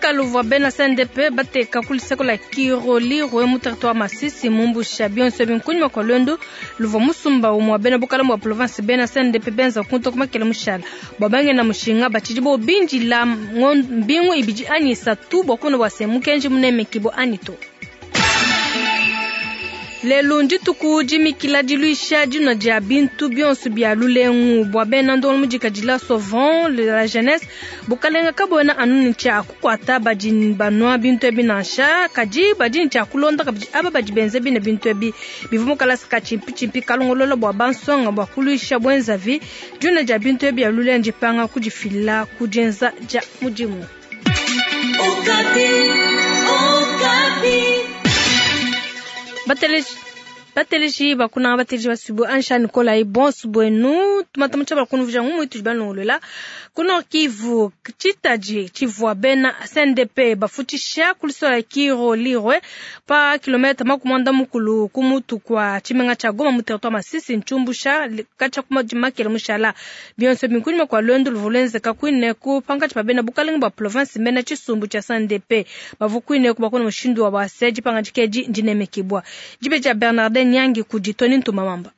Mukalu uvua bena CNDP bateka ku luseke lua Kirolirwe mu territoire Masisi mumbusha bionso ebi nkunyima kua luendu luvua musumba umue wa bena bukalenge bua province bena CNDP benza kuntu ku makele mushala bua bangenda mushinga batshidi bo bindila mbingu ibidi anyi isatu bua kumona bua se mukenji munemekibua anyi to. Lelu ndituku dimikila diluisha dinua dia bintu bionso bia lulengu bua bena ndongo mudikadila Sauvons la jeunesse. Bukalenga kabuena anu ne tshia kukuata badi banua bintu ebi nansha, kadi badi ne tshia kulonda kabidi aba badi benza bine bintu ebi. Bivua mu kalasa ka tshimpitshimpi kalongolola bua bansonga bua kuluisha buenzavi. Dinua dia bintu ebi bia lulengu ndipanga kudifila ku dienza dia mudimu. Okapi, Okapi. Bateleji bateleji bakunanga bateleji basubu ansha nikolayi bonso buenu tumata tsha bakunuvuja ngumu itudi balongolola ku Nord Kivu tshitadi tshivua bena CNDP bafutshisha ku lusola Kirolirwe pa kilomètre 40 ku mutu kwa tshimenga tshia Goma mu territoire Masisi ntshumbusha katshia ku makele mushala bionso binkunyima kwa luendu luvua luenzeka kuine ku pankatshi pa bena bukalenge bua province bena tshisumbu tshia CNDP bavua kuine ku bakona mushindu wa base dipangadika edi ndinemekibua dibe dia Bernardin Nyangi kudi Tony Ntumamamba.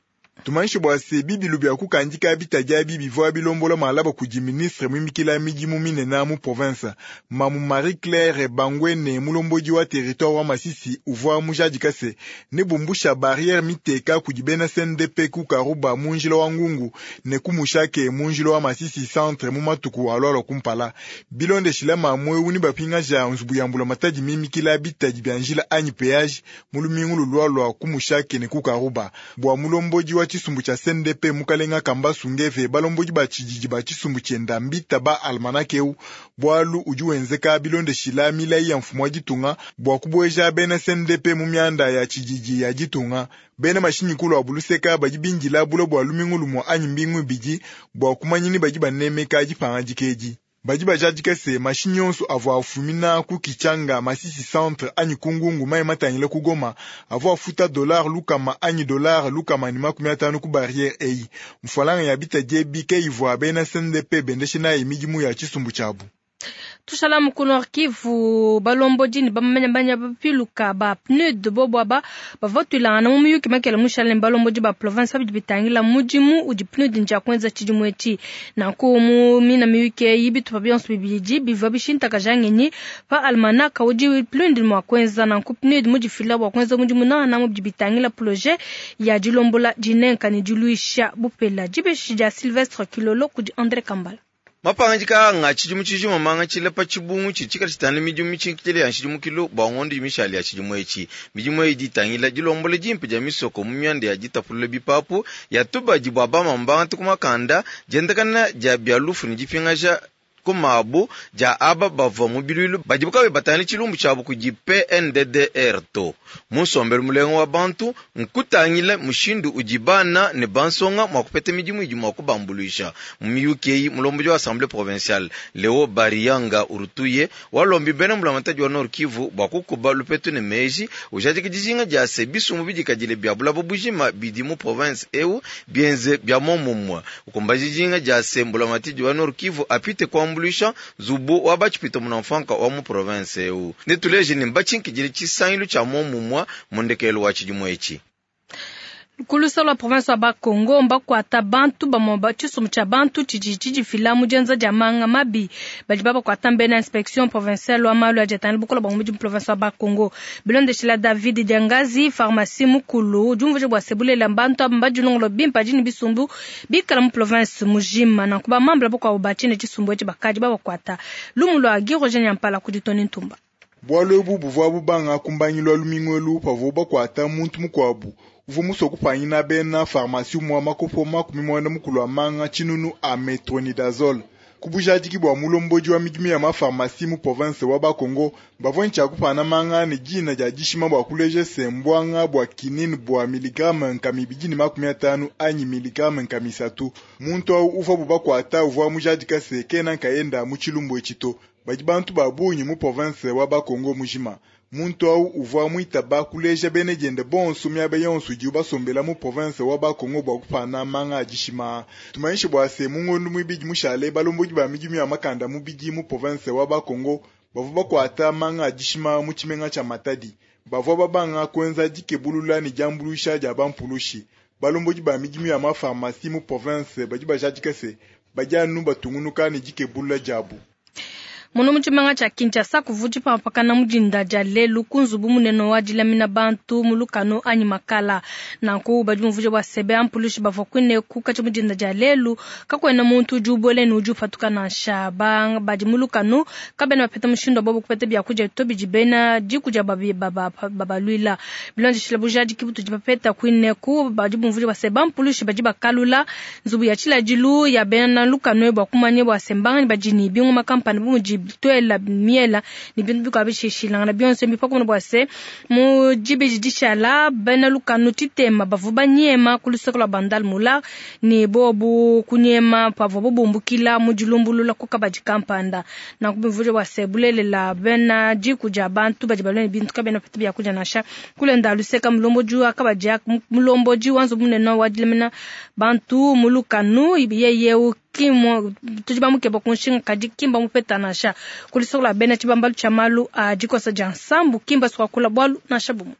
Tumanyishe bua se bibilu bia kukandika bitadi abi bivua bilombola malaba kudi ministre muimikila midimu minene mu province Mamu Marie Claire Bangwene mulombodi wa territoire wa Masisi uvua mujadika se ne bumbusha barrière miteka kudi bena CNDP ku Karuba mu njila wa Ngungu ne ku Mushake mu njila wa Masisi centre mu matuku alualua kumpala. Bilondeshila mamu ewu ne bapingaja nzubu ya mbula matadi mimikila bitadi bia njila anyi péage mu lumingu lulualua ku Mushake ne ku Karuba. Bua mulombodi wa tshisumbu tshia CNDP mukalenga Kambasu Ngeve balombodi ba tshididi ba tshisumbu tshienda mbita ba almanach eu bualu udi wenzeka bilondeshila milayi ya mfumu wa ditunga bua kubueja bena CNDP mu mianda ya tshididi ya ditunga. Bena mashinyi kulu abu luseka badi bindila bula bua lumingu lumue anyi mbingu ibidi bua kumanya ni badi banemeka dipangadika edi. Badi bajadika se mashinyi yonso avua afumina ku Kichanga, Masisi centre anyi ku Ngungu mayi matangila ku Goma avua afuta dollar lukama anyi dollar 150 ku barrière eyi. Mfualanga ya bitadi ebi ke ivua bena CNDP bendeshe nayi midimu ya tshisumbu tshiabu. Tushala mu Nord Kivu balombodi ne bamanya bapiluka ba PNUD bobo aba bavua tuilangana mu muyuki makele mushala ne balombodi ba province babidi bitangila mudimu udi PNUD ndia kuenza tshidimu etshi. Nanku mu mina miyuki eyi bitupa bionso bibidi bivua bishintakaja ngenyi pa almanaka udi PNUD mua kuenza. Nanku PNUD mudifila bua kuenza mudimu nangananga bidi bitangila projet ya dilombola dinenka ne diluisha bupela. Dibeshi dia Sylvestre Kilolo kudi André Kambala. Mapangadika anga tshidimu tshijima mangatshile pa tshibungu tshidi tshikala tshitangila midimu mitshinkitshile ya nshidimukilu bua ngondo mishale ya tshidimu etshi. Midimu eyi idi itangila dilombola dimpe dia misoko mu mianda ya ditapulula bipapu ya tubadi bua bamama bangata ku makanda, diendakana dia bia lufu ne dipingaja ku mabu dia aba bavua mu biluilu badibu kabayi batangila tshilumbu tshiabu kudi PNDDR to. Mu nsombelu mulenga wa bantu nkutangila mushindu udi bana ne bansonga mua kupeta midimu idi mua kubambuluisha. Mu miyuki eyi mulombodi wa assemblée provinciale Leo Barianga Urutuye walombi bena mbulamatadi wa Nord Kivu bua kukuba lupetu ne meji ujadika dijinga dia se bisumbu bidikadile bia bulaba bujima bidi mu province eu bienze bia momumue ukumbaja dijinga dia se mbulamatadi wa Nord Kivu apite kuambuluisha nzubu wa batshipita munamfanka wa mu province eu. Netuleje ne mbatshinkidile tshisangilu tshia momumue mu ndekelu wa tshidimu etshi. Kulusa lwa province wa Bakongo mbakuata bantu bamue ba tshisumbu tshia bantu tshidi tshidifila mu dienza dia manga mabi badi babakuata mbena inspection provinciale wa malu adi atangila bukola bua mudi mu province wa Bakongo. Bilondeshila David Diangazi pharmacie mukulu udi umvuija bua se bulelela bantu aba mbadilongolola bimpe adi ne bisumbu bikala mu province mujima. Nanku bamambula bakuabu batshine tshisumbu etshi bakadi babakuata. Lumu lua Guy Roger Nyampala kudi Tony Ntumba. Bualu ebu buvua bubanga kumbangilu wa lumingu elu pavua bakuata muntu mukuabu uvua musue kupangina bena pharmacie mwa makopo 90 a manga tshinunu a metronidazole. Ku bujadiki bua mulombodi wa midimu ya mapharmacie mu province wa Bakongo bavua ntshia kupana manga ne dina dia dishima bua kuleja se mbwanga bua kinine bua miligramme 250 anyi miligramme 300. Muntu awu uvua bubakuata uvua mujadika se kena nkayenda mu tshilumbu etshi to. Badi bantu ba bungi mu province wa Bakongo mujima. Muntu awu uvua muitaba kuleja bene diende bonso miaba yonso idibu basombela mu province wa Bakongo bua kupana manga a dishima. Tumanyishe bua se mu ngondo muibidi mushale balombodi ba midimu ya makanda mubidi mu province wa Bakongo Bavua bakuata manga a dishima mu tshimenga tshia Matadi. Bavua babanga kuenza dikebulula ne diambuluisha dia bampulushi. Balombodi ba midimu ya ma pharmacie mu province badi bajadika se badi anu batungunuka ne dikebulula diabu. Muno mu tshimenga tshia Kinshasa kuvua dipampakana mu dinda dia lelu ku nzubu munene wa dilamina bantu mu lukanu anyi makala. Nanku badi bumvuija bua se bampulushi bavua kuineku katshia mu dinda dia lelu, kakuena muntu udi ubuela ne udi upatuka nansha. Badi mu lukanu kabena bapeta mushindu wa bobu kupeta biakudia to bidi bena diku dia babaluila. Bilondeshile bujadiki butudi bapeta kuineku, badi bumvuija bua se bampulushi badi bakalula nzubu ya tshiladilu ya bena lukanu bua kumanya bua se mbanganyi badi ne bingoma kampani bu mudi tuela miela ne bintu bikuabu bishilangana bionso mbi pakumona bua se mu dibidi dishala bena lukanu tshitema bavua banyema ku luseke lua Bandal Mula ne bobu kunyema pavua bubumbukila mu dilumbulula ku kabadi kampanda. Nanku bimvuija bua se bulelela bena diku dia bantu badi balue ne bintu kabena bapeta biakudia nansha. Kulenda luseka mulombodi wa kabadi mulombodi wa nzubu munene wa dilamina bantu mu lukanu yeye kimo tudi bamukeba ku nshinga kadi kimba mupeta nansha. Kulisokola bena tshibambalu tshia malu a dikosa dia nsambu kimba swakula bwalu nansha bumu.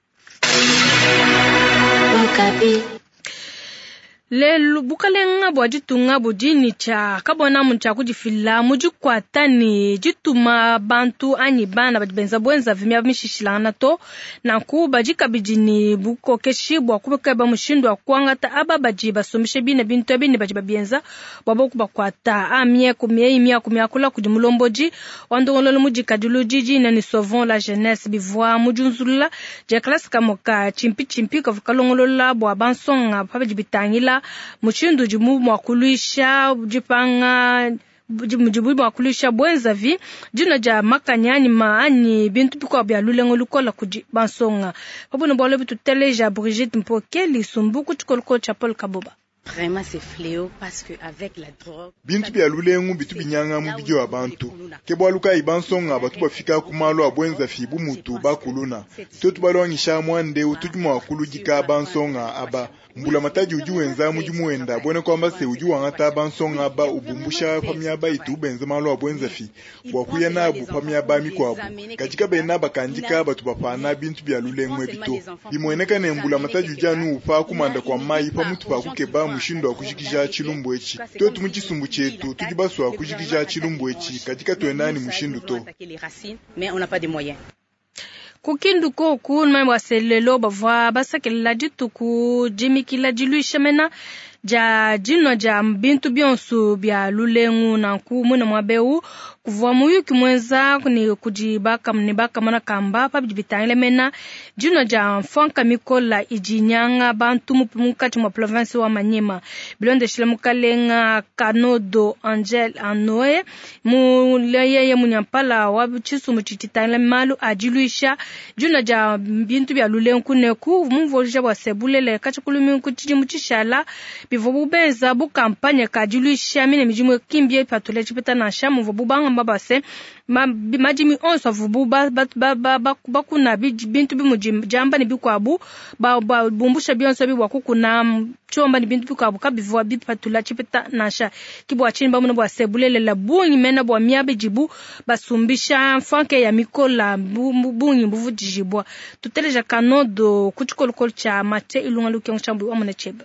Lelu bukalenga bua ditunga budi ne tshia kabona mu tshia kudifila mu dikuata ne dituma bantu anyi bana badi benza bwenza vimia mishishilangana to. Nanku badi kabidi ne bukokeshi bua kubekeba mushindu wa kuangata aba badi basumbisha bine bintu ebi ne badi babienza bua boku bakuata. Amie ku mieyi miaku miakula kudi mulombodi wa ndongololo mudikadilu didi ne Sauvons la jeunesse bivua mu diunzulula dia klase kamoka tshimpi tshimpi kavua kalongolola bua bansonga pa bidi bitangila mushindu udi mua kuluisha dipanga mudibu mua kuluisha bwenzavi dina dia makanya anyi anyi bintu bikuabu bia lulengo lukola kudi bansonga. Pabuna bwalo bituteleja Brigitte Mpokeli Sumbu ku tshikolokolo tshia Paul Kaboba. Vraiment c'est fléau parce que avec la drogue bintu bia lulengu bitu binyanga mubidi wa bantu ke bwalu kayi bansonga batu bafika ku malu a bwenza fi bu mutu bakuluna twetu balwangisha mwande utudi mua kuludika bansonga aba mbula matadi udi wenza mudimu wenda bwene kwamba se udi wangata bansonga aba ubumbusha pa miaba itu benza malu a bwenza fi bwa kuya nabu pa miaba mikwabu katika bena bakandika batu bapana bintu bia lulengu ebito bimweneka ne mbula matadi udi anu upa kumanda kwa mayi pa mutu pa kukeba mushindu wa kujikija tshilumbu etshi twetu mu tshisumbu tshietu tudi basua kujikija tshilumbu etshi katika tuenda ni mushindu to. Mais on n'a pas de moyens. Kukindu koku numanya bua selelo bavua basakelela dituku dimikila diluisha mena dia dinwa dia bintu bionso bia lulengu. Nanku mwina mwabeu kuvua muyuki mwenza ne kudi ne bakamona kamba pa bidi bitangila mena dinwa dia mfanka mikola idi nyanga bantu munkatshi mua province wa Maniema. Bilondeshile mukalenga Kanodo Angel Anoe mu yeye munyampala wa tshisumbu tshitangila malu a diluisha dinwa dia bintu bia lulengu kuneku mumvuija bua se bulele katshikulu ku tshidimu tshishala bivua bubenza bu kampanye ka diluisha mine midimu kimbie patule tshipeta nansha muvua bubanga base madimi onso avubu bakuna bintu bimudi jamba ne bikuabu bumbusha bionso bibwa kukuna chomba ne bintu bikuabu kabivua bipatula tshipeta nansha kibwa chini bamuna bwa sebulelela bungi mena bwa miabe jibu basumbisha mfanke ya mikola bungi mbuvudijibwa tuteleja kanodo kuchikolokolo cha mate ilunga lukengo chambu amuna cheba.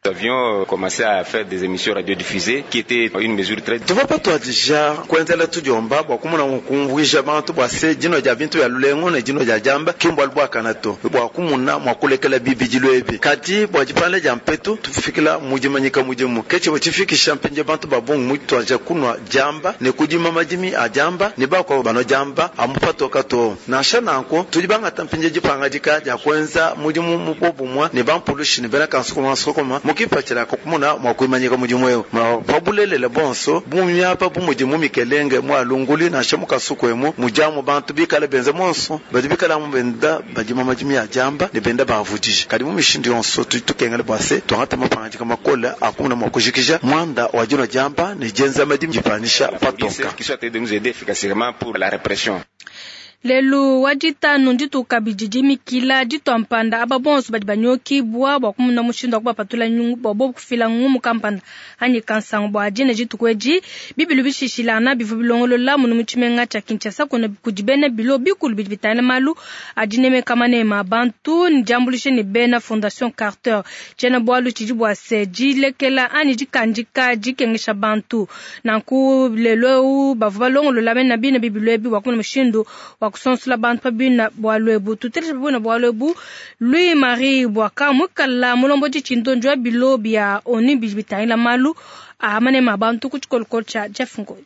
Nous avions commencé à faire des émissions radiodiffusées qui étaient une mesure très... Tuvapatwa deja kuenzela tudiomba bua kumuna kumvuija bantu bua se dino dia bintu ya lulengu ne dino dia jamba kimbwa bua to bua kumuna mua kulekela bibidilu ebi kadi bua dipanda dia mpetu tufikila mudimanyika mudimu kechi butifikisha mpenje bantu babungu mutwaja kunwa jamba ne kudima madimi a jamba ne bakwa bano jamba amupatoka to nansha nanko tudi bangata mpenje dipanga dika dia kuenza mudimu mubobumwa ne bampulushi ne bena kansukuma sukuma mukipatshila kumuna mwa kuimanyika mudimu eu pabulelela bonso bumiapa bumudimu mikelenge mwa lunguli nansha mukasuku emu mujamu bantu bikala benza monso badi bikala mu benda badima madimi ya jamba ne benda bavudije kadi mu mishindu yonso tukengele bwase twangata mapangajika makola akumuna mwa kujikija mwanda wa dino jamba ne jenza madimi jipanisha patoka qui soit de nous aider efficacement pour la répression. Lelu wa ditanu ndituku kabidi dimikila ditua mpanda aba bonso badi banyokibua bua kumuna mushindu wa kubapatula nyungu bua bobu kufila ngumu kampanda anyi kansangu bua dine dituku edi. Bibilu bishishilangana bivua bilongolola munu mu tshimenga tshia Kinshasa kuna kudi bena bilo bikulu bidi bitangila malu a dinemeka manema a bantu ne diambuluisha ne bena Fondation Carter. Tshiena bualu tshidi bua se dilekela anyi dikandika dikengesha bantu. Nanku lelu eu bavua balongolola bena bine bibilu ebi bua kumuna mushindu wa kusonsola bantu pa bina bualu ebu. Tuteleje pa bina bualu ebu Louis Marie Bwaka muikala mulombodi tshindonji wa bilo bia ONU bidi bitangila malu a manema a bantu ku tshikolokolo tshia Jeff Ngoi.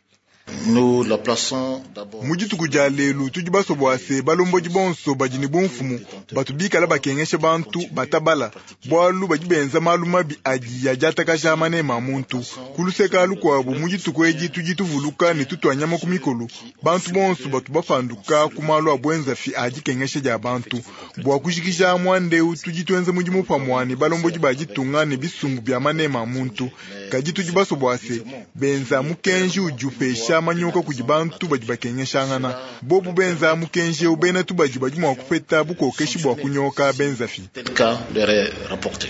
Nous la plaçons d'abord. Mu dituku dia lelu tudi basue bua se balombodi bonso badi ne bumfumu batu bikala bakengesha bantu batabala, bualu badi benza malu mabi adi adiatakaja manema a muntu. Ku luseka lukuabu mu dituku edi tudi tuvuluka ne tutua nyama ku mikolo bantu bonso batu bapanduka ku malu a buenzafi a dikengesha dia bantu. Bua kujikija muanda eu tudi tuenza mudimu pamue ne balombodi ba ditunga ne bisumbu bia manema a muntu, kadi tudi basue bua se benza mukenji udi upesha manyoka kudi bantu badi bakengeshangana. Bobu benza mukenji eu bena tubadi badi mua kupeta bukokeshi bua kunyoka benzafi. Tel cas leur est rapporté.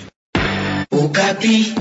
Okapi.